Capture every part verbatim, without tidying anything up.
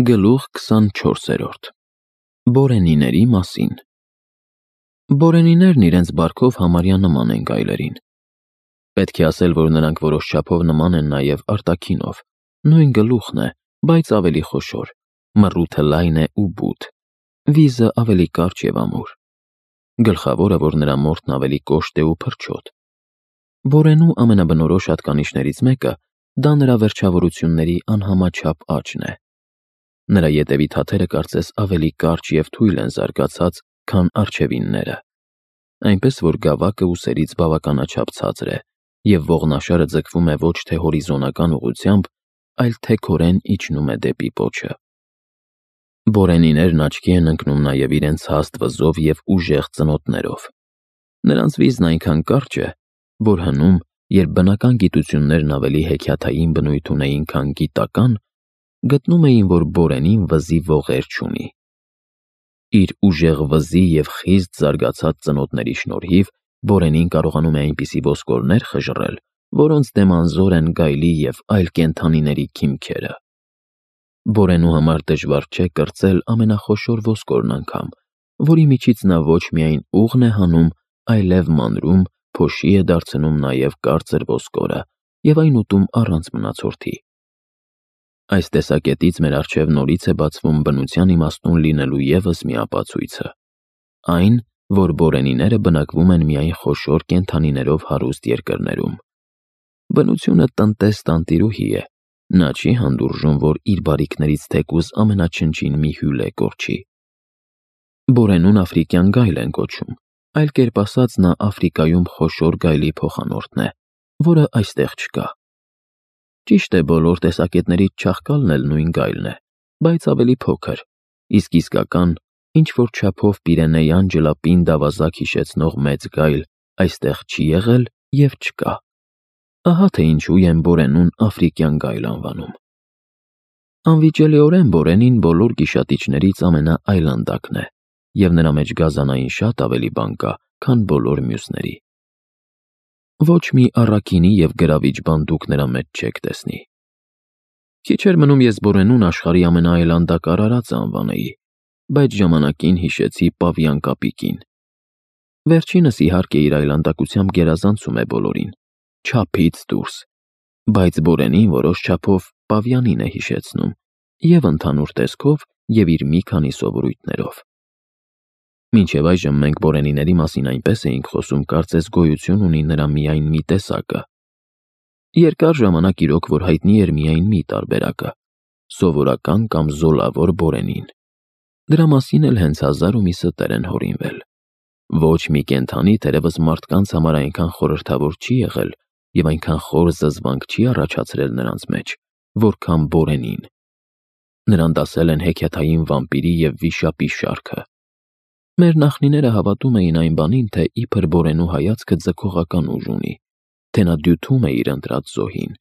Գլուխ քսանչորսերորդ Բորենիների մասին Բորենիներն իրենց բարքով համարյա նման են գայլերին։ Պետք է ասել, որ նրանք որոշ չափով նման են նաև արտաքինով, նույն գլուխն է, բայց ավելի խոշոր, մռութը լայն է ու բութ, վիզը ավելի կարճ և ամուր։ Գլխավորը, որ նրա մորթն ավելի կոշտ է ու փրչոտ։ Բորենու ամենաբնորոշ հատկանիշներից մեկը դա նրա վերջավորությունների անհամաչափ աճն է։ Նրա ետևի թաթերը կարծես ավելի կարճ և թույլ են զարգացած, քան առջևինները, այնպես որ գավակը ուսերից բավականաչափ ցածր է, և ողնաշարը ձգվում է ոչ թե հորիզոնական ուղղությամբ, այլ թեքորեն իջնում է դեպի պոչը։ Բորենիներն աչքի են ընկնում նաև իրենց հաստ վզով և ուժեղ ծնոտներով։ Նրանց վիզն այնքան կարճ է, որ հնում, երբ բնական գիտություններն ավելի հեքիաթային բնույթ ունեին, քան գիտական, գտնում էին, որ բորենին վզի ողեր չունի։ Իր ուժեղ վզի և խիստ զարգացած ծնոտների շնորհիվ բորենին կարողանում է այնպիսի ոսկորներ խժռել, որոնց դեմ անզոր են գայլի և այլ կենդանիների քիմքերը։ Բորենու համար դժվար չէ կրծել ամենախոշոր ոսկորն անգամ, որի միջից նա ոչ միայն ուղն է հանում, այլև մանրում, փոշի է դարձնում նաև կարծր ոսկորը և այն ուտում առանց մնացորդի։ Այս տեսակետից մեր առջև նորից է բացվում բնության իմաստուն լինելու ևս մի ապացույցը, այն, որ բորենիները բնակվում են միայն խոշոր կենդանիներով հարուստ երկրներում։ Բնությունը տնտես տանտիրուհի է, նա չի հանդուրժում, որ իր բարիքներից թեկուզ ամենաչնչին մի հյուլ է կորչի։ Բորենուն աֆրիկյան գայլ են կոչում, այլ կերպ ասած նա Աֆրիկայում խոշոր գայլի փոխանորդն է, որը այստեղ չկա։ Ճիշտ է, բոլոր տեսակետներից չաղկալն էլ նույն գայլն է, բայց ավելի փոքր, իսկ իսկական, ինչ-որ չափով պիրենեյան ջլապինդ ավազակ հիշեցնող մեծ գայլ այստեղ չի եղել և չկա։ Ահա թե ինչու են բորենուն աֆրիկյան գայլ անվանում։ Անվիճելիորեն բորենին բոլոր գիշատիչներից ամենաայլանդակն է, և նրա մեջ գազանային շատ ավելի բան կա, քան բոլոր մյուսների։ Ոչ մի առաքինի և գրավիչ բան դուք նրա մեջ չեք տեսնի։ Քիչ էր մնում ես բորենուն աշխարհի ամենաայլանդակ արարածը անվանեի, բայց ժամանակին հիշեցի պավիան կապիկին։ Վերջինս իհարկե իր այլանդակությամբ գերազանցում է բոլորին, չափից դուրս, բայց բորենին որոշ չափով պավիանին է հիշեցնում և ընդհանուր տեսքով, և իր մի քանի սովորույթներով։ Մինչև այժմ մենք բորենիների մասին այնպես էինք խոսում, կարծես գոյություն ունի նրա միայն մի տեսակը։ Երկար ժամանակ իրոք, որ հայտնի էր միայն մի տարբերակը՝ սովորական կամ զոլավոր բորենին։ Դրա մասին էլ հենց հազար ու մի ստեր են հորինվել։ Ոչ մի կենդանի թերևս մարդկանց համար այնքան խորհրդավոր չի եղել և այնքան խոր զզվանք չի առաջացրել նրանց մեջ, որքան բորենին։ Նրան դասել են հեքիաթային վամպիրի և վիշապի շարքը։ Մեր նախնիները հավատում էին այն բանին, թե իբր բորենու հայացքը ձգողական ուժ ունի, թե նա դյութում է իր ընտրած զոհին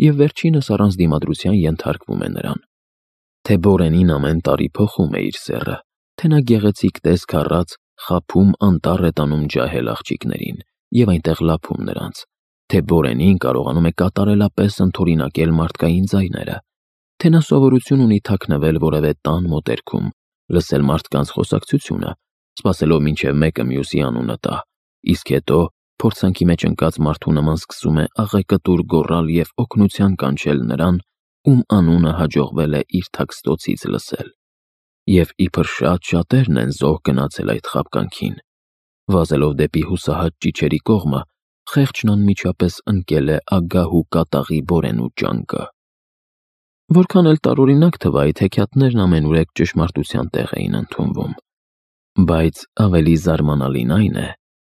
և վերջինս առանց դիմադրության ենթարկվում է նրան, թե բորենին ամեն տարի փոխում է իր սեռը, թե նա գեղեցիկ տեսք առած խաբում անտառ է տանում ջահել աղջիկներին և այնտեղ լափում նրանց, թե բորենին կարողանում է կատարելապես ընդօրինակել մարդկային ձայները, թե նա սովորություն ունի թաքնվել որևէ տան մոտերքում, լսել մարդկանց խոսակցությունը, սպասելով մինչև մեկը մյուսի անունը տա, իսկ հետո փորձանքի մեջ ընկած մարդու նման սկսում է աղեկտուր գոռալ և օգնության կանչել նրան, ում անունը հաջողվել է իր թաքստոցից լսել։ Եվ իբր շատ շատերն են զոհ գնացել այդ խաբկանքին։ Վազելով դեպի հուսահատ ճիչերի կողմը, խեղճն անմիջապես ընկել է ագահ ու կատաղի բորենու ճանկը։ Որքան էլ տարօրինակ թվա, այդ հեքիաթներն ամենուրեք ճշմարտության տեղ էին ընդունվում։ Բայց ավելի զարմանալին այն է,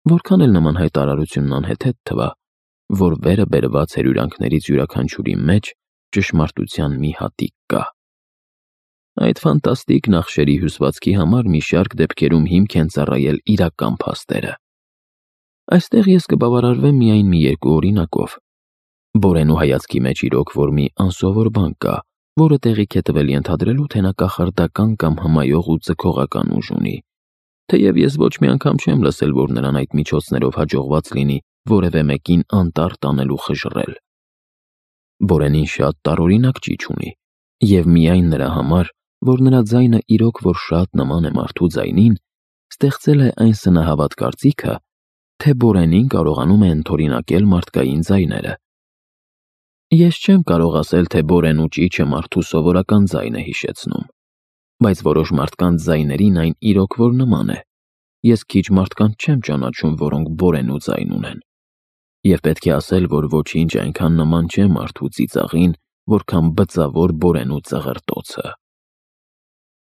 որքան էլ նման հայտարարությունն անհեթեթ թվա, որ վերը բերված հրյուրանքներից յուրաքանչյուրի մեջ ճշմարտության մի հատիկ կա։ Այդ ֆանտաստիկ նախշերի հյուսվածքի համար մի շարք դեպքերում հիմք են ծառայել իրական փաստերը։ Այստեղ ես կբավարարվեմ միայն մի երկու օրինակով։ Բորենու հայացքի մեջ իրոք որ մի անսովոր բան կա, որը տեղիք է տվել ենթադրելու, թե նա կախարդական կամ հմայող ու ձգողական ուժ ունի, թեև ես ոչ մի անգամ չեմ լսել, որ նրան այդ միջոցներով հաջողված լինի որևէ մեկին անտառ տանել ու խժռել։ Բորենին շատ տարօրինակ ճիչ ունի, և միայն նրա համար, որ նրա ձայնը իրոք որ շատ նման է մարդու ձայնին, ստեղծել է այն սնահավատ կարծիքը, թե Բորենին կարողանում է ընդօրինակել մարդկային ձայները։ Ես չեմ կարող ասել, թե Բորենու ճիչը մարդու սովորական ձայն է հիշեցնում, բայց որոշ մարդկանց ձայներին այն իրոք որ նման է։ Ես քիչ մարդկանց չեմ ճանաչում, որոնք Բորենու ձայն ունեն։ Եվ պետք է ասել, որ ոչինչ այնքան նման չէ մարդու ծիծաղին, որքան բծավոր Բորենու ծղրտոցը։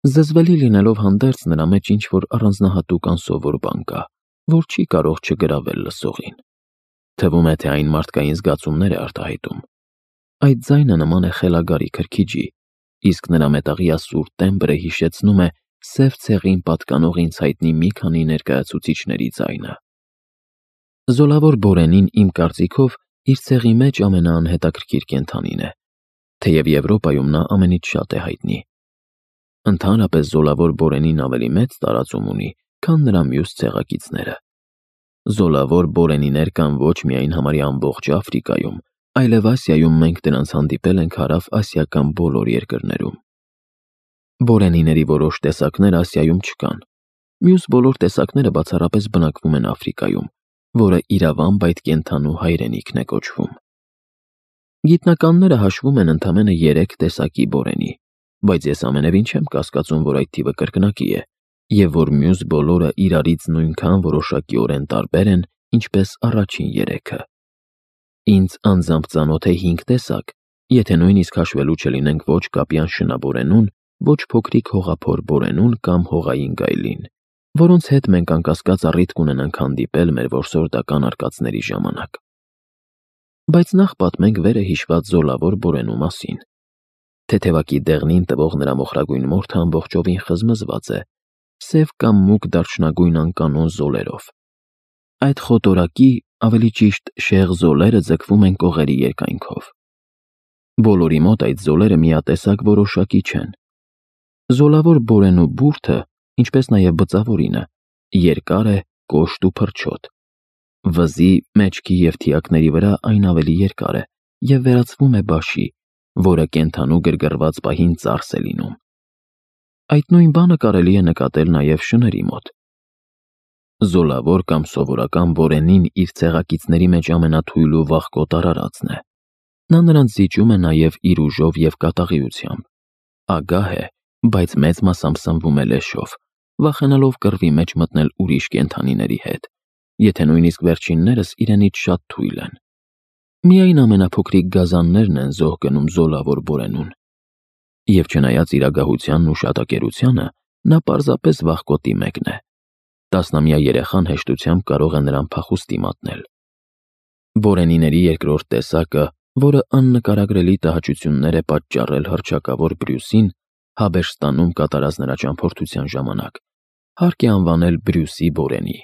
Զզվելի լինելով հանդերձ նրա մեջ ինչ-որ առանձնահատուկ անսովոր բան կա, որ չի կարող չգրավել լսողին։ Թվում է, թե այն մարդկային զգացումներ է արտահայտում։ Այդ ձայնը նման է խելագարի քրքիջի, իսկ նրա մետաղյա սուր տեմբրը հիշեցնում է սև ցեղին պատկանող ինձ հայտնի մի քանի ներկայացուցիչների ձայնը։ Զոլավոր Բորենին իմ կարծիքով իր ցեղի մեջ ամենաանհետաքրքիր կենդանին է, թեև Եվրոպայում նա ամենից շատ է հայտնի։ Ընդհանրապես Զոլավոր Բորենին ավելի մեծ տարածում ունի, քան նրա մյուս ցեղակիցները։ Զոլավոր Բորենիներ կան ոչ միայն համարյա ամբողջ Աֆրիկայում, այլև Ասիայում մենք դրանց հանդիպել ենք հարավ-ասիական բոլոր երկրներում։ Բորենիների որոշ տեսակներ Ասիայում չկան։ Մյուս բոլոր տեսակները բացառապես բնակվում են Աֆրիկայում, որը իրավամբ այդ կենդանու հայրենիքն է կոչվում։ Գիտնականները հաշվում են ընդամենը երեք տեսակի Բորենի, բայց ես ամենևին չեմ կասկածում, որ այդ թիվը կրկնակի է, և որ մյուս բոլորը իրարից նույնքան որոշակիորեն տարբեր են, ինչպես առաջին երեքը։ Ինձ անձամբ ծանոթ է հինգ տեսակ, եթե նույնիսկ հաշվելու չլինենք ոչ կապյան շնաբորենուն, ոչ փոքրիկ հողափոր Բորենուն կամ հողային գայլին, որոնց հետ մենք անկասկած առիթ կունենանք հանդիպել մեր որսորդական արկածների ժամանակ։ Բայց նախ պատմենք վերը հիշված Զոլավոր Բորենու մասին։ Թեթևակի դեղնին տվող նրա մոխրագույն մորթը ամբողջովին խզմզված է, սև կամ մուգ դարչնագույն անկանոն զոլերով։ Այդ խոտորակի, ավելի ճիշտ շեղ զոլերը ձգվում են կողերի երկայնքով։ Բոլորի մոտ այդ զոլերը միատեսակ որոշակի չեն։ Զոլավոր Բորենու բուրդը, ինչպես նաև բծավորինը, երկար է, կոշտ ու փրչոտ։ Վզի, մեջքի և թիակների վրա այն ավելի երկար է և վերածվում է բաշի, որը կենդանու գրգռված պահին ծարս է լինում։ Այդ նույն բանը կարելի է նկատել նաև շների մոտ։ Զոլավոր կամ սովորական Բորենին իր ցեղակիցների մեջ ամենաթույլ ու վախկոտ արարածն է։ Նա նրանց զիջում է նաև իր ուժով և կատաղիությամբ։ Ագահ է, բայց մեծ մասամբ սնվում է լեշով, վախենալով կռվի մեջ մտնել ուրիշ կենդանիների հետ, եթե նույնիսկ վերջիններս իրենից շատ թույլ են։ Միայն ամենափոքրիկ գազաններն են զոհ գնում Զոլավոր Բորենուն։ Եվ չնայած իր ագահությանն ու շատակերությանը, նա պարզապես վախկոտի մեկն է։ Տասնամյա երեխան հեշտությամբ կարող է նրան փախուստի մատնել։ Բորենիների երկրորդ տեսակը, որը աննկարագրելի տհաճություններ է պատճառել հռչակավոր Բրյուսին, Հաբեշտանում կատարած նրա ճամփորդության ժամանակ, հարկ է անվանել Բրյուսի Բորենի։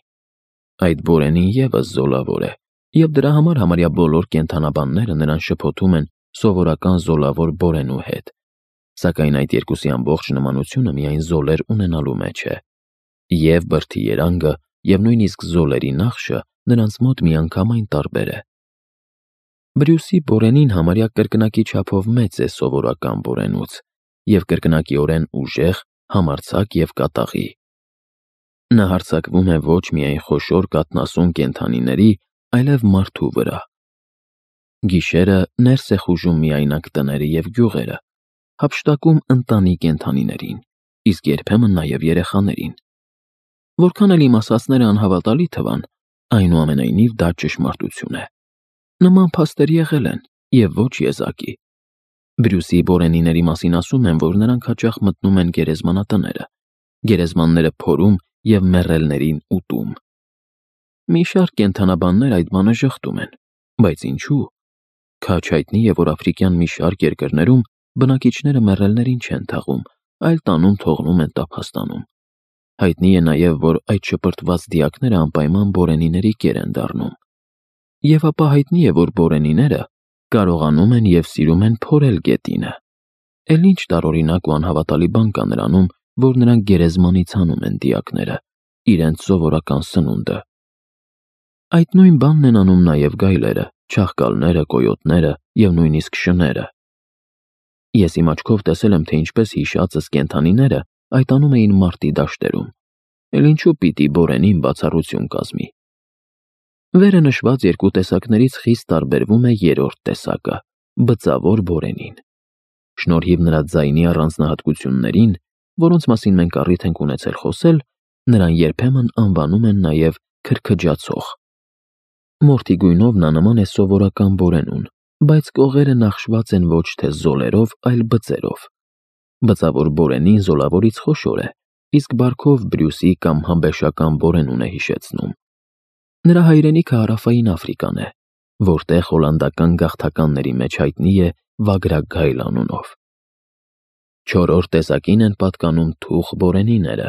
Այդ Բորենին ևս զոլավոր է, և դրա համար համարյա բոլոր կենդանաբանները նրան շփոթում են սովորական Զոլավոր Բորենու հետ, սակայն այդ երկուսի ամբողջ նմանությունը միայն զոլեր ունենալու մեջ է, և բրդի երանգը, և նույնիսկ զոլերի նախշը նրանց մոտ միանգամայն տարբեր է։ Բրյուսի Բորենին համարյա կրկնակի չափով մեծ է սովորական Բորենուց և կրկնակիորեն ուժեղ, համարձակ և կատաղի։ Նա հարձակվում է ոչ միայն խոշոր կաթնասուն կենդանիների, այլև մարդու վրա։ Գիշերը ներս է խուժում միայնակ տները և գյուղերը, հափշտակում ընտանի կենդանիներին, իսկ երբեմն նաև երեխաներին։ Որքան էլ իմ ասածները անհավատալի թվան, այնուամենայնիվ դա ճշմարտություն է։ Նման փաստեր եղել են, և ոչ եզակի։ Բրյուսի Բորենիների մասին ասում են, որ նրանք հաճախ մտնում են գերեզմանատները, գերեզմանները փորում և մեռելներին ուտում։ Մի շարք կենդանաբաններ այդ բանը ժխտում են, բայց ինչու՞։ Քաջ հայտնի է, որ աֆրիկյան մի շարք երկրներում բնակիչները մեռելներին չեն թաղում, այլ տանում թողնում են տափաստանում։ Հայտնի է նաև, որ այդ շպրտված դիակները անպայման Բորենիների կեր են դառնում։ Եվ ապա հայտնի է, որ Բորենիները կարողանում են և սիրում են փորել գետինը։ Էլ ինչ տարօրինակ ու անհավատալի բան կա նրանում, որ նրանք գերեզմանից հանում են դիակները, իրենց սովորական սնունդը։ Այդ նույն բանն են անում նաև գայլերը, չաղկալները, կոյոտները և նույնիսկ շները։ Ես իմ աչքով տեսել եմ, թե ինչպես հիշածս կենդանիները այտանում էին մարտի դաշտերում, էլ ինչու պիտի Բորենին բացառություն կազմի։ Վերը նշված երկու տեսակներից խիստ տարբերվում է երրորդ տեսակը՝ բծավոր Բորենին։ Շնորհիվ նրա ձայնի առանձնահատկություններին, որոնց մասին մենք առիթ ենք ունեցել խոսել, նրան երբեմն անվանում են նաև քրքջացող։ Մորթի գույնով նա նման է սովորական Բորենուն, բայց կողերը նախշված են ոչ թե զոլերով, այլ բծերով։ Բծավոր Բորենին զոլավորից խոշոր է, իսկ բարքով Բրյուսի կամ համբեշական Բորենուն է հիշեցնում։ Նրա հայրենիքը Հարավային Աֆրիկան է, որտեղ հոլանդական գաղթականների մեջ հայտնի է վագրագայլ անունով։ Չորրորդ տեսակին են պատկանում թուխ Բորենիները։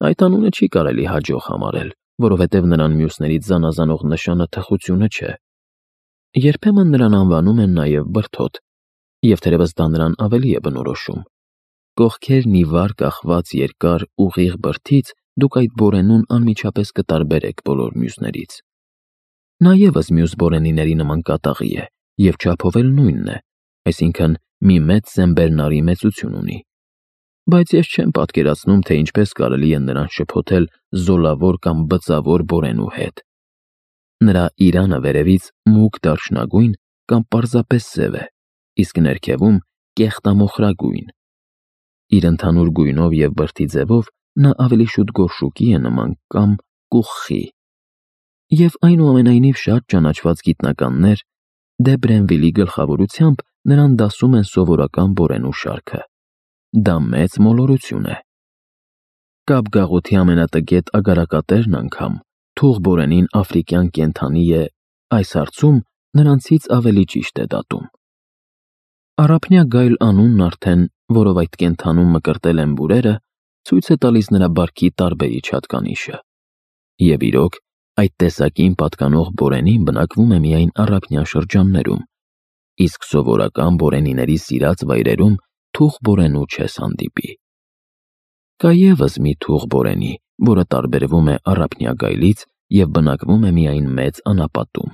Այդ անունը չի կարելի հաջող համարել, որովհետև նրան մյուսներից զանազանող նշանը թխությունը չէ։ Երբեմն նրան անվանում են նաև բրդոտ, և թերևս դա նրան ավելի է բնորոշում։ Կողքերն ի վար կախված երկար ուղիղ բրդից դուք այդ Բորենուն անմիջապես կտարբերեք բոլոր մյուսներից։ Նա ևս մյուս Բորենիների նման կատաղի է և չափով էլ նույնն է, այսինքն մի մեծ սենբերնարի մեծություն ունի։ Բայց ես չեմ պատկերացնում, թե ինչպես կարելի է նրան շփոթել զոլավոր կամ բծավոր Բորենու հետ։ Նրա իրանը վերևից մուգ դարչնագույն կամ պարզապես սև է, իսկ ներքևում կեղտամոխրագույն։ Իր ընդհանուր գույնով և բրդի ձևով նա ավելի շուտ գորշուկի է նման կամ կուխխի։ Եվ այնուամենայնիվ շատ ճանաչված գիտնականներ Դե Բրենվիլի գլխավորությամբ նրան դասում են սովորական Բորենու շարքը։ Դա մեծ մոլորություն է։ Կապգաղութի ամենատգետ ագարակատերն անգամ թուխ Բորենին աֆրիկյան կենդանի է, այս հարցում նրանցից ավելի ճիշտ է դատում։ Առափնյա գայլ անունն արդեն, որով այդ կենդանուն մկրտել են բուրերը, ցույց է տալիս նրա բարքի տարբերիչ հատկանիշը։ Եվ իրոք, այդ տեսակին պատկանող Բորենին բնակվում է միայն առափնյա շրջաններում, իսկ սովորական Բորենիների սիրած վայրերում թուխ Բորենու չես հանդիպի։ Կա ևս մի թուխ Բորենի, որը տարբերվում է առափնյա գայլից և բնակվում է միայն մեծ անապատում։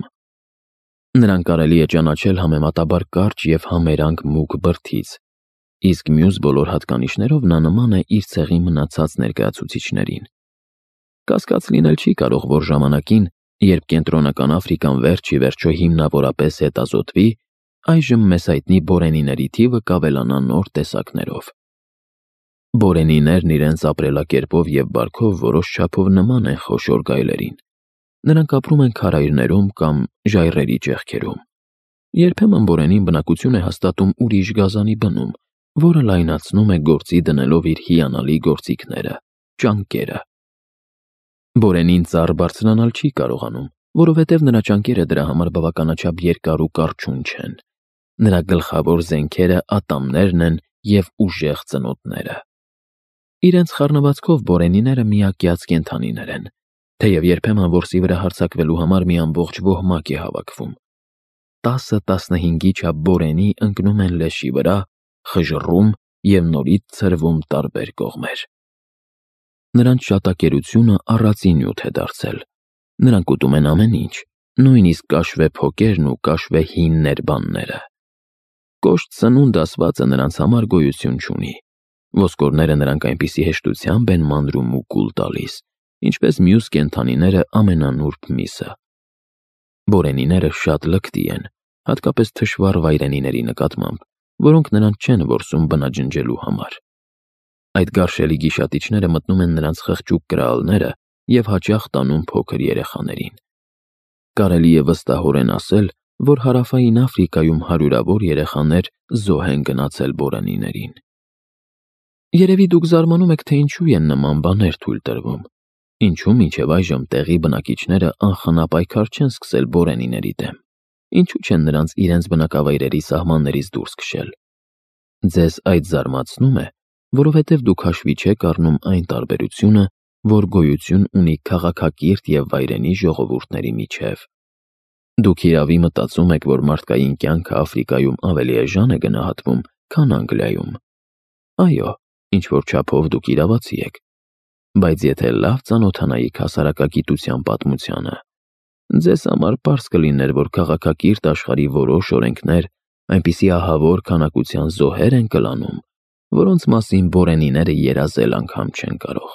Նրան կարելի է ճանաչել համեմատաբար կարճ և համերանգ մուգ բրդից, իսկ մյուս բոլոր հատկանիշներով նա նման է իր ցեղի մնացած ներկայացուցիչներին։ Կասկած լինել չի կարող, որ ժամանակին, երբ Կենտրոնական Աֆրիկան վերջ ի վերջո հիմնավորապես հետազոտվի, այժմ մեզ հայտնի Բորենիների թիվը կավելանա նոր տեսակներով։ Բորենիներն իրենց ապրելակերպով և բարքով որոշ չափով նման են խոշոր գայլերին։ Նրանք ապրում են քարայրներում կամ ժայռերի ճեղքերում։ Երբեմն Բորենին բնակություն է հաստատում ուրիշ գազանի բնում, որը լայնացնում է գործի դնելով իր հիանալի գործիքները՝ ճանկերը։ Բորենին ծառ բարձրանալ չի կարողանում, որովհետև նրա ճանկերը դրա համար բավականաչափ երկար ու կարճուն չեն։ Նրա գլխավոր զենքերը ատամներն են և ուժեղ ծնոտները։ Իրենց խառնվածքով Բորենիները միակյաց կենդանիներ են, թեև երբեմն որսի վրա հարձակվելու համար մի ամբողջ ոհմակ է հավաքվում։ տասը-տասնհինգի չափ Բորենի ընկնում են լեշի վրա, խժռում և նորից ցրվում տարբեր կողմեր։ Նրանց շատակերությունը առածի նյութ է դարձել։ Նրանք ուտում են ամեն ինչ, նույնիսկ կաշվե փոկերն ու կաշվե հին ներբանները։ Կոշտ սնունդ ասվածը նրանց համար գոյություն չունի։ Ոսկորները նրանք այնպիսի հեշտությամբ են մանրում ու կուլ տալիս, ինչպես մյուս կենդանիները ամենանուրբ միսը։ Բորենիները շատ լկտի են, հատկապես թշվառ վայրենիների նկատմամբ, որոնք նրանց չեն որսում բնաջնջելու համար։ Այդ գարշելի գիշատիչները մտնում են նրանց խղճուկ կրալները և հաճախ տանում փոքր երեխաներին։ Կարելի է վստահորեն ասել, որ Հարավային Աֆրիկայում հարյուրավոր երեխաներ զոհ են գնացել Բորենիներին։ Երևի դուք զարմանում եք, թե ինչու են նման բաներ թույլ տրվում։ Ինչու մինչև այժմ տեղի բնակիչները անխնա պայքար չեն սկսել Բորենիների դեմ։ Ինչու չեն նրանց իրենց բնակավայրերի սահմաններից դուրս քշել։ Ձեզ այդ զարմացնում է, որովհետև դուք հաշվի չեք առնում այն տարբերությունը, որ գոյություն ունի քաղաքակիրթ և վայրենի ժողովուրդների միջև։ Դուք հիրավի մտածում եք, որ մարդկային կյանքը Աֆրիկայում ավելի էժան է գնահատվում, քան Անգլիայում։ Այո, ինչ-որ չափով դուք իրավացի եք։ Բայց եթե լավ ծանոթանայիք հասարակագիտության պատմությանը, ձեզ համար պարզ կլիներ, որ քաղաքակիրթ աշխարհի որոշ օրենքներ այնպիսի ահավոր քանակության զոհեր են կլանում, որոնց մասին բորենիները երազել անգամ չեն կարող։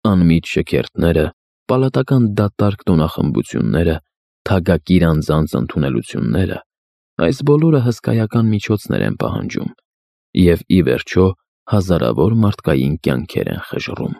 Անմիջ շքերթները, պալատական դատարկ տոնախմբությունները, թագակիր անձանց ընդունելությունները, այս բոլորը հսկայական միջոցներ են պահանջում և, ի վերջո, հազարավոր մարդկային կյանքեր են խժռում։